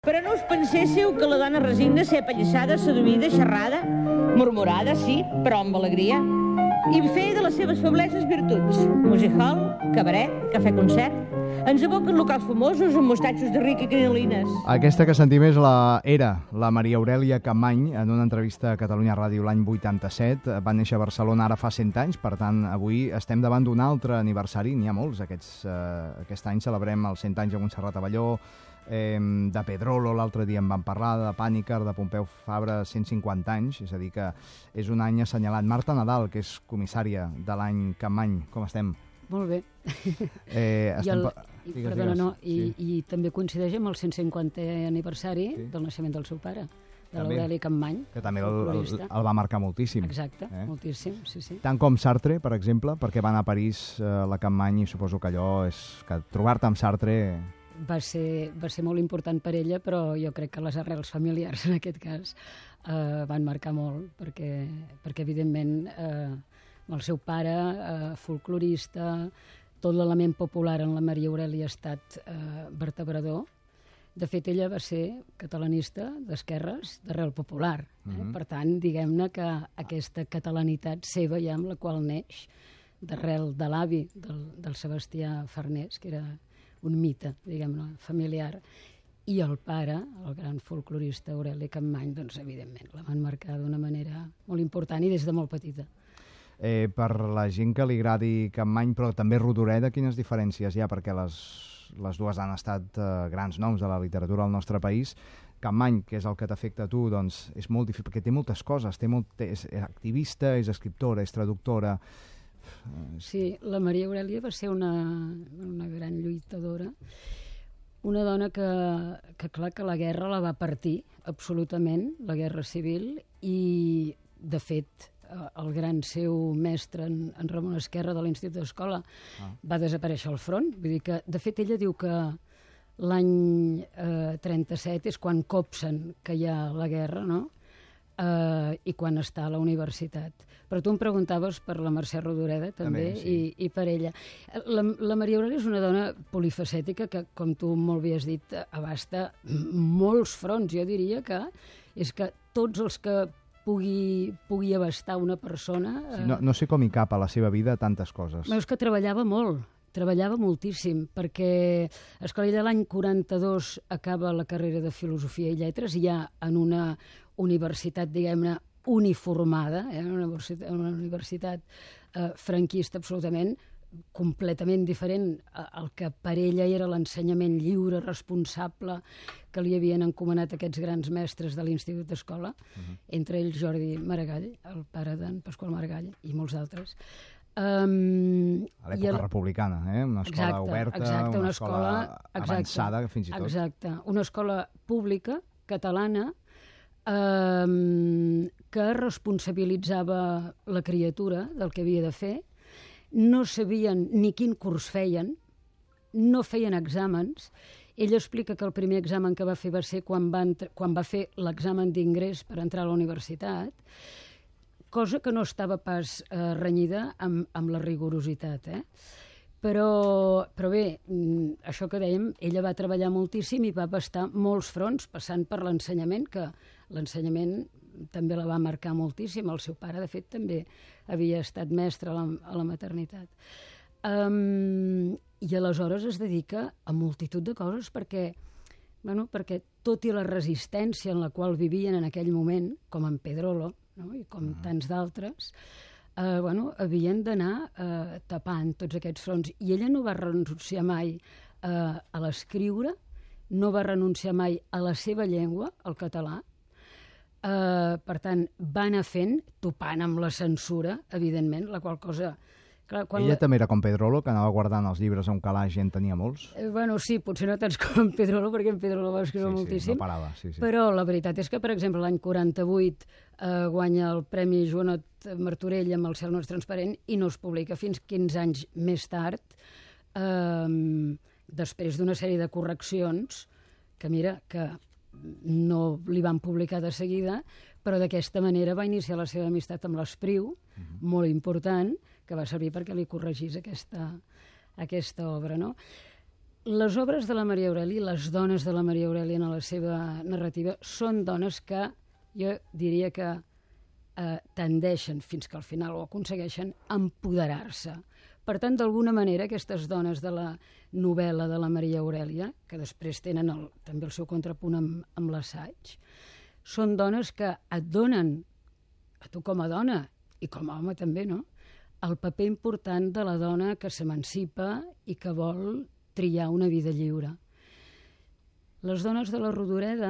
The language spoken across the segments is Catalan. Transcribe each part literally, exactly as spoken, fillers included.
Però no us penséssiu que la dona resigna ser apallissada, seduïda, xerrada, murmurada, sí, però amb alegria, i fer de les seves febleses virtuts. Music hall, cabaret, cafè-concert, ens evoquen locals famosos amb mostatxos de ric i crinolines. Aquesta que sentim és la, era la Maria Aurèlia Capmany en una entrevista a Catalunya Ràdio l'any vuitanta-set. Va néixer a Barcelona ara fa cent anys, per tant, avui estem davant d'un altre aniversari. N'hi ha molts. Aquests, eh, aquest any celebrem els cent anys de Montserrat Abelló, eh, de Pedrolo, l'altre dia en vam parlar, de Pàniker, de Pompeu Fabra, cent cinquanta anys, és a dir que és un any assenyalat. Marta Nadal, que és comissària de l'any Capmany, com estem? Molt bé. Eh, I, el, pa... i, digues, perdona, digues. no, i, sí. i també coincideix amb el cent cinquantè aniversari sí. del naixement del seu pare, de l'Aureli Capmany. Que també el, el, el va marcar moltíssim. Exacte, eh? moltíssim, sí, sí. Tant com Sartre, per exemple, perquè va anar a París eh, la Capmany, i suposo que allò és... que trobar-te amb Sartre... Va ser, va ser molt important per ella, però jo crec que les arrels familiars, en aquest cas, eh, van marcar molt, perquè, perquè evidentment, eh, el seu pare, eh, folclorista, tot l'element popular en la Maria Aurèlia ha estat eh, vertebrador. De fet, ella va ser catalanista d'esquerres, d'arrel popular. Eh? Mm-hmm. Per tant, diguem-ne que aquesta catalanitat seva ja amb la qual neix, d'arrel de l'avi del, del Sebastià Farnés, que era un mite, diguem-ne, familiar, i el pare, el gran folclorista Aureli Capmany, doncs, evidentment, la van marcar d'una manera molt important i des de molt petita. Eh, per la gent que li agradi Capmany, però també Rodoreda, quines diferències hi ha? Perquè les, les dues han estat eh, grans noms de la literatura al nostre país. Capmany, que és el que t'afecta a tu, doncs és molt difícil, perquè té moltes coses, té molt, té, és activista, és escriptora, és traductora... Sí, la Maria Aurèlia va ser una, una gran lluitadora, una dona que, que clar que la guerra la va partir absolutament, la guerra civil, i de fet el gran seu mestre, en, en Ramon Esquerra de l'Institut d'Escola, ah. va desaparèixer al front. Vull dir que, de fet, ella diu que l'any eh, trenta-set és quan copsen que hi ha la guerra, no? Uh, i quan està a la universitat. Però tu em preguntaves per la Mercè Rodoreda, també, també sí. i, i per ella. La, la Maria Aurèlia és una dona polifacètica que, com tu molt bé has dit, abasta molts fronts. Jo diria que és que tots els que pugui, pugui abastar una persona... Uh... Sí, no, no sé com hi cap a la seva vida tantes coses. És que treballava molt. Treballava moltíssim, perquè esclar, ella l'any quaranta-dos acaba la carrera de Filosofia i Lletres, i ja en una universitat, diguem-ne, uniformada, eh, una universitat, una universitat eh, franquista absolutament, completament diferent al que per ella era l'ensenyament lliure, responsable, que li havien encomanat aquests grans mestres de l'Institut d'Escola, uh-huh. entre ells Jordi Maragall, el pare d'en Pasqual Maragall, i molts altres. Um, a l'època el... republicana, eh? Una escola exacte, oberta, exacte, una, una escola, escola avançada, fins i tot. Exacte, una escola pública, catalana, um, que responsabilitzava la criatura del que havia de fer, no sabien ni quin curs feien, no feien exàmens. Ella explica que el primer examen que va fer va ser quan va, quan va fer l'examen d'ingrés per entrar a la universitat, cosa que no estava pas eh, renyida amb, amb la rigorositat, eh? Però, però bé, això que dèiem, ella va treballar moltíssim i va abastar molts fronts, passant per l'ensenyament, que l'ensenyament també la va marcar moltíssim. El seu pare, de fet, també havia estat mestre a la, a la maternitat. Um, I aleshores es dedica a multitud de coses perquè, bueno, perquè tot i la resistència en la qual vivien en aquell moment, com en Pedrolo, no? I com uh-huh. tants d'altres, eh, bueno, havien d'anar eh, tapant tots aquests fronts. I ella no va renunciar mai eh, a l'escriure, no va renunciar mai a la seva llengua, el català. Eh, per tant, va anar fent, topant amb la censura, evidentment, la qual cosa... Clar, ella la... també era com Pedrolo, que anava guardant els llibres a un calaix i en tenia molts? Eh, bueno, sí, potser no tants com Pedrolo, perquè en Pedrolo va escriure sí, moltíssim. Sí, no parava, sí, sí. Però la veritat és que, per exemple, l'any quaranta-vuit eh, guanya el Premi Joanot Martorell amb El cel no és transparent i no es publica fins quinze anys més tard, eh, després d'una sèrie de correccions, que mira, que no li van publicar de seguida, però d'aquesta manera va iniciar la seva amistat amb l'Espriu, uh-huh. molt important, que va servir perquè li corregís aquesta, aquesta obra, no? Les obres de la Maria Aurèlia, les dones de la Maria Aurèlia en la seva narrativa, són dones que jo diria que eh, tendeixen, fins que al final ho aconsegueixen, a empoderar-se. Per tant, d'alguna manera, aquestes dones de la novel·la de la Maria Aurèlia, que després tenen el, també el seu contrapunt amb, amb l'assaig, són dones que et donen, a tu com a dona, i com a home també, no?, el paper important de la dona que s'emancipa i que vol triar una vida lliure. Les dones de la Rodoreda,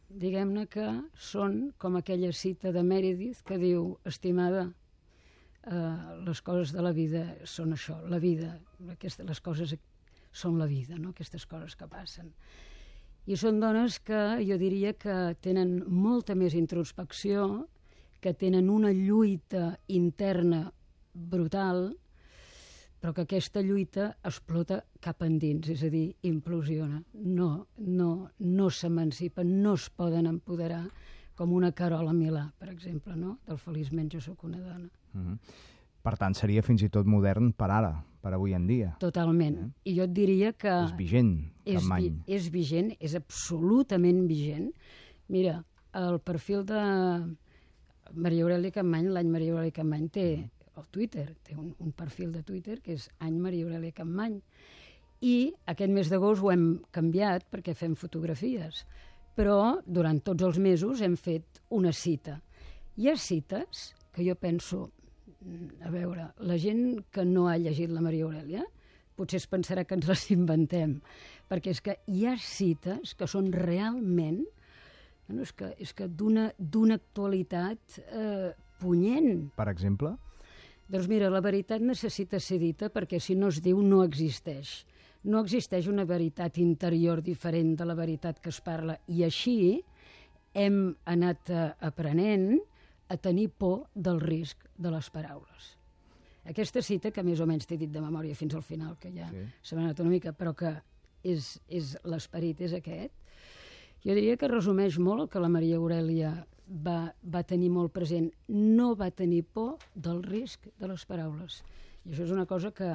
diguem-ne que són com aquella cita de Meredith que diu, estimada, eh, les coses de la vida són això, la vida, aquestes, les coses són la vida, no? Aquestes coses que passen. I són dones que jo diria que tenen molta més introspecció, que tenen una lluita interna brutal, però que aquesta lluita explota cap endins, és a dir, implosiona. No, no, no s'emancipen, no es poden empoderar, com una Carola Milà, per exemple, no? Del Feliçment jo sóc una dona. Mm-hmm. Per tant, seria fins i tot modern per ara, per avui en dia. Totalment. Eh? I jo et diria que... És vigent, és, Capmany. vi, és vigent, és absolutament vigent. Mira, el perfil de Maria Aurèlia Capmany, l'any Maria Aurèlia Capmany té... al Twitter, té un, un perfil de Twitter que és any Maria Aurèlia Capmany. I aquest mes d'agost ho hem canviat perquè fem fotografies, però durant tots els mesos hem fet una cita. Hi ha cites que jo penso, a veure, la gent que no ha llegit la Maria Aurèlia potser es pensarà que ens les inventem, perquè és que hi ha cites que són realment, bueno, és que, és que d'una d'una actualitat eh, punyent. Per exemple? Doncs mira, la veritat necessita ser dita perquè si no es diu no existeix. No existeix una veritat interior diferent de la veritat que es parla. I així hem anat uh, aprenent a tenir por del risc de les paraules. Aquesta cita, que més o menys t'he dit de memòria fins al final, que ja sí. se m'ha anat una mica, però que és, és l'esperit és aquest, jo diria que resumeix molt el que la Maria Aurèlia Va, va tenir molt present. No va tenir por del risc de les paraules. I això és una cosa que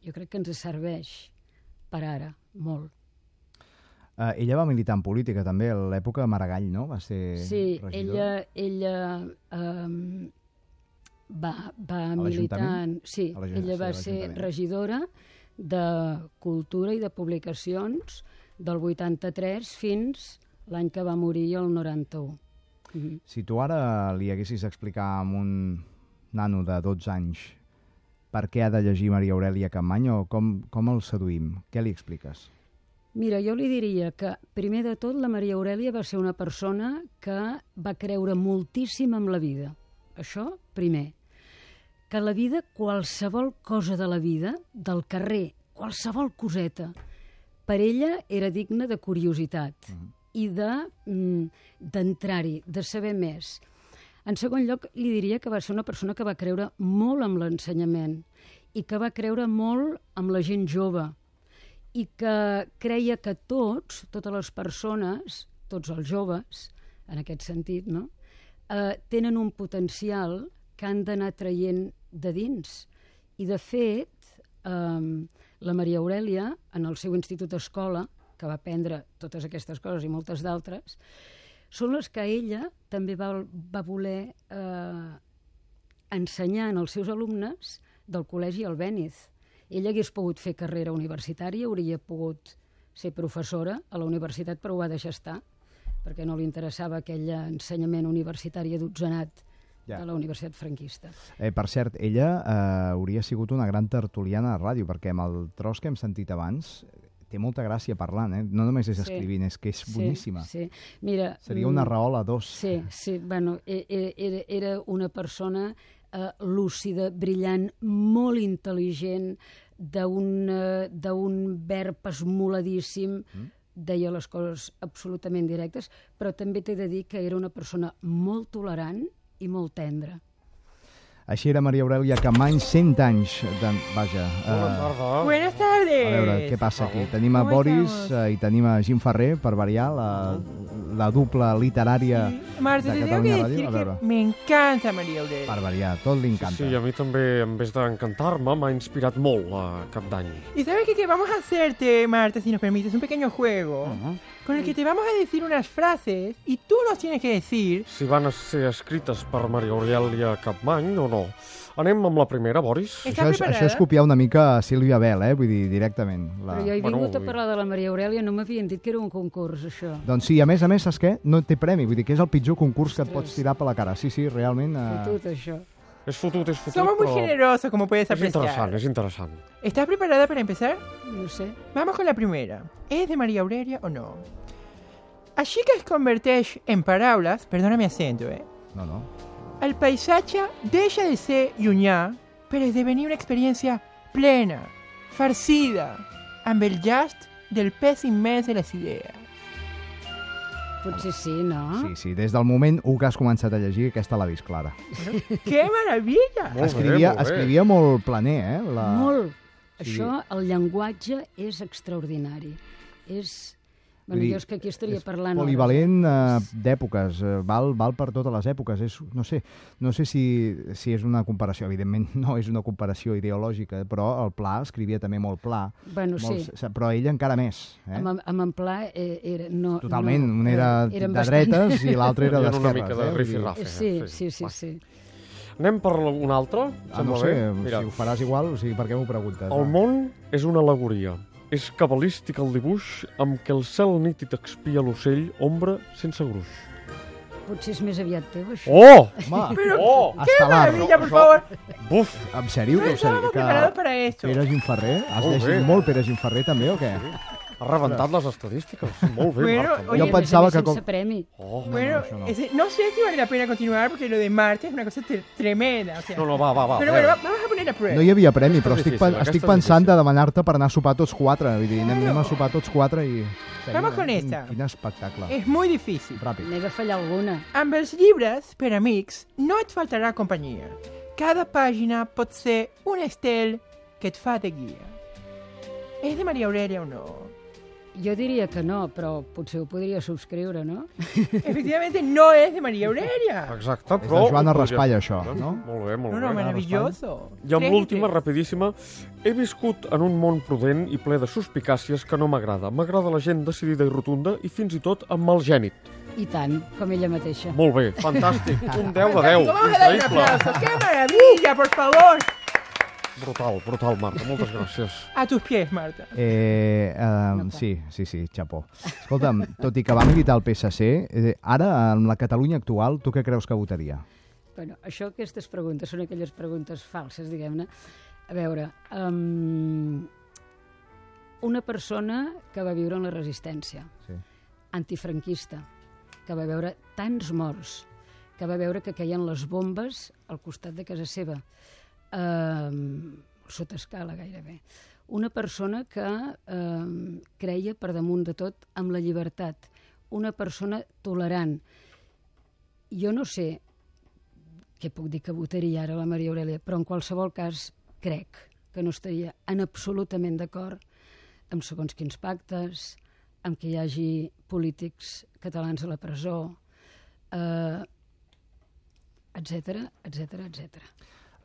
jo crec que ens serveix per ara, molt. Uh, ella va militar en política també, a l'època de Maragall, no? Va ser sí, regidora. ella, ella um, va, va militar... En, sí, ella va ser regidora de Cultura i de Publicacions del vuitanta-tres fins l'any que va morir, el noranta-u. Mm-hmm. Si tu ara li haguessis d'explicar a un nano de dotze anys per què ha de llegir Maria Aurèlia Capmany o com, com el seduïm, què li expliques? Mira, jo li diria que, primer de tot, la Maria Aurèlia va ser una persona que va creure moltíssim en la vida. Això, primer. Que la vida, qualsevol cosa de la vida, del carrer, qualsevol coseta, per ella era digna de curiositat. Mm-hmm. I d'entrar-hi, de, de saber més. En segon lloc, li diria que va ser una persona que va creure molt en l'ensenyament i que va creure molt en la gent jove i que creia que tots, totes les persones, tots els joves, en aquest sentit, no? eh, tenen un potencial que han d'anar traient de dins. I, de fet, eh, la Maria Aurèlia, en el seu institut escola, que va aprendre totes aquestes coses i moltes d'altres, són les que ella també va, va voler eh, ensenyar als seus alumnes del col·legi Albéniz. Ella hagués pogut fer carrera universitària, hauria pogut ser professora a la universitat, però ho va deixar estar, perquè no li interessava aquell ensenyament universitari adotzenat ja. de la Universitat Franquista. Eh, per cert, ella eh, hauria sigut una gran tertuliana de ràdio, perquè amb el tros que hem sentit abans té molta gràcia parlant, eh? No només és sí. escrivint, és que és boníssima. Sí, sí. Mira, seria una raola dos. Sí, sí, bueno, era, era una persona eh, lúcida, brillant, molt intel·ligent, d'un verb esmoladíssim, mm. deia les coses absolutament directes, però també t'he de dir que era una persona molt tolerant i molt tendra. Així era Maria Aurèlia Capmany, cent anys de... Vaja. Uh, Buenas tardes. A veure, què passa aquí? Tenim a Boris uh, i tenim a Jim Ferrer, per variar, la, la dupla literària Sí. Marta, de te tengo que Catalunya decir Ràdio. A que veure, me encanta María Aurelia. per variar, tot li encanta. Sí, a mi també, en vez d'encantar-me, m'ha inspirat molt a Cap d'Any. ¿Y sabes qué, qué? Vamos a hacerte, Marta, si nos permites, un pequeño juego Uh-huh. con el que te vamos a decir unas frases y tú nos tienes que decir Si van ser escrites per Maria Aurèlia Capmany o no. Anem amb la primera, Boris? ¿Estás Això és, preparada? això és copiar una mica a Sílvia Bell, eh? Vull dir, directament. La... Però jo he Bueno, vingut a vull- parlar de la Maria Aurèlia, no m'havien dit que era un concurs, això. Doncs sí, a més a més, saps què? No té premi, vull dir que és el pitjor concurs que et Ostres. pots tirar per la cara. Sí, sí, realment... Eh... Fotut, això. És fotut, és fotut, somos muy però generosos, como puedes és interessant, apreciar. és interessant. ¿Estás preparada para empezar? No sé. Vamos con la primera. ¿Es de María Aurelia o no? Així que es converteix en paraules, perdona mi acento, eh? No, no. El paisatge deixa de ser llunyà per esdevenir una experiència plena, farcida, amb el llast del pes immens de les idees. Potser sí, no? Sí, sí, des del moment u que has començat a llegir, aquesta l'ha vist clara. ¡Qué maravilla! Molt Escrivia, bé, molt bé. escrivia molt planer, eh? La... Molt. Sí. Això, el llenguatge és extraordinari. És... Bueno, Vull dir, jo és que aquí estaria és parlant... polivalent hores, eh, d'èpoques, eh, val, val per totes les èpoques. És, no sé, no sé si, si és una comparació, evidentment no és una comparació ideològica, però el Pla escrivia també molt pla, eh? Bueno, sí. molt, però ell encara més. Eh? Amb, amb en Pla eh, era... No, Totalment, no, un era eh, eren de bastant- dretes i l'altre era Hi ha una d'esquerres. mica de eh? Vull dir- rifirrafe. Sí, eh? sí, sí, Va. sí. Anem per un altre? Ah, no Sembla sé, bé? Mira, si ho faràs igual, o sigui, per què m'ho preguntes? el va? món és una alegoria. És cabalístic el dibuix amb què el cel nítid expia l'ocell ombra sense gruix. Potser és més aviat teu, això. Oh! Home, Pero Oh! ¡qué Escalar. maravilla, por Això- favor! Buf! en sèrio? No Que, estábamos preparados para esto. Pere Gimferrer? Has Molt llegit bé. molt Pere Gimferrer també o què? Ha rebentat les estadístiques. Molt bé, Bueno, Marta. molt oye, Jo a més pensava a més, que sense com- premi. Oh. Bueno, això no. ese- no sé si vale la pena continuar porque lo de Marte es una cosa tre- tremenda. O sea. No, no, va, va, va. Pero a bueno, veure. va- vamos a poner a prueba. No hi havia premi, Aquesta però és estic, difícil, pen- aquesta estic és pensant difícil. de demanar-te per anar a sopar tots quatre. Vull dir, anem, anem a sopar tots quatre i... Vamos con Quin- esta. Quin espectacle. Es muy difícil. Ràpid. N'he de fallar alguna. Amb els llibres, per amics, no et faltarà companyia. Cada pàgina pot ser un estel que et fa de guia. És de Maria Aurelia o no? Jo diria que no, però potser ho podria subscriure, no? Efectivamente no és de Maria Aurelia. Exacte, És però... de Joana ho podries Raspall, fer, això, no? Molt bé, molt No, bé. no, maravilloso. I amb Tres l'última, tres. rapidíssima, he viscut en un món prudent i ple de suspicàcies que no m'agrada. M'agrada la gent decidida i rotunda i fins i tot amb mal gènit. I tant, com ella mateixa. Molt bé, fantàstic. Un deu de deu. Vamos a dar un Increïble. aplauso. ¡Qué maravilla, por favor! Brutal, brutal, Marta. Moltes gràcies. A tus pies, Marta. Eh, eh, sí, sí, sí, xapó. Escolta'm, tot i que va militar al P S C, eh, ara, en la Catalunya actual, tu què creus que votaria? Bueno, això, aquestes preguntes, són aquelles preguntes falses, diguem-ne. A veure, um, una persona que va viure en la resistència, Sí. antifranquista, que va veure tants morts, que va veure que caien les bombes al costat de casa seva, um, sota escala gairebé. Una persona que um, creia per damunt de tot amb la llibertat, una persona tolerant. Jo no sé què puc dir que votaria ara la Maria Aurelia, però en qualsevol cas crec que no estaria en absolutament d'acord amb segons quins pactes, amb que hi hagi polítics catalans a la presó, eh, etcètera, etcètera, etcètera.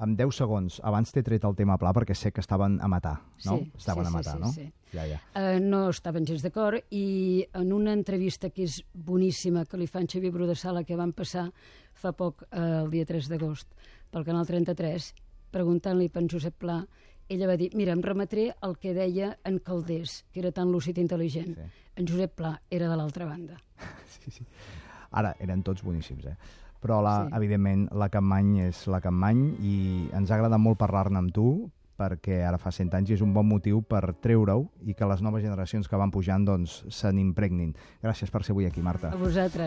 En deu segons, abans t'he tret el tema Pla perquè sé que estaven a matar, no? Sí, estaven sí, a sí, matar, sí, no? sí. Ja, ja. Eh, no estaven gens d'acord i en una entrevista que és boníssima que li fa en Xavier Bru de Sala que van passar fa poc, eh, el dia tres d'agost, pel Canal trenta-tres, preguntant-li per en Josep Pla, ella va dir, mira, em remetré el que deia en Calders, que era tan lúcid i intel·ligent. Sí. En Josep Pla era de l'altra banda. Sí, sí. Ara, eren tots boníssims, eh? Però, la, Sí. evidentment, la Capmany és la Capmany i ens ha agradat molt parlar-ne amb tu perquè ara fa cent anys i és un bon motiu per treure-ho i que les noves generacions que van pujant doncs, se n'impregnin. Gràcies per ser avui aquí, Marta. A vosaltres.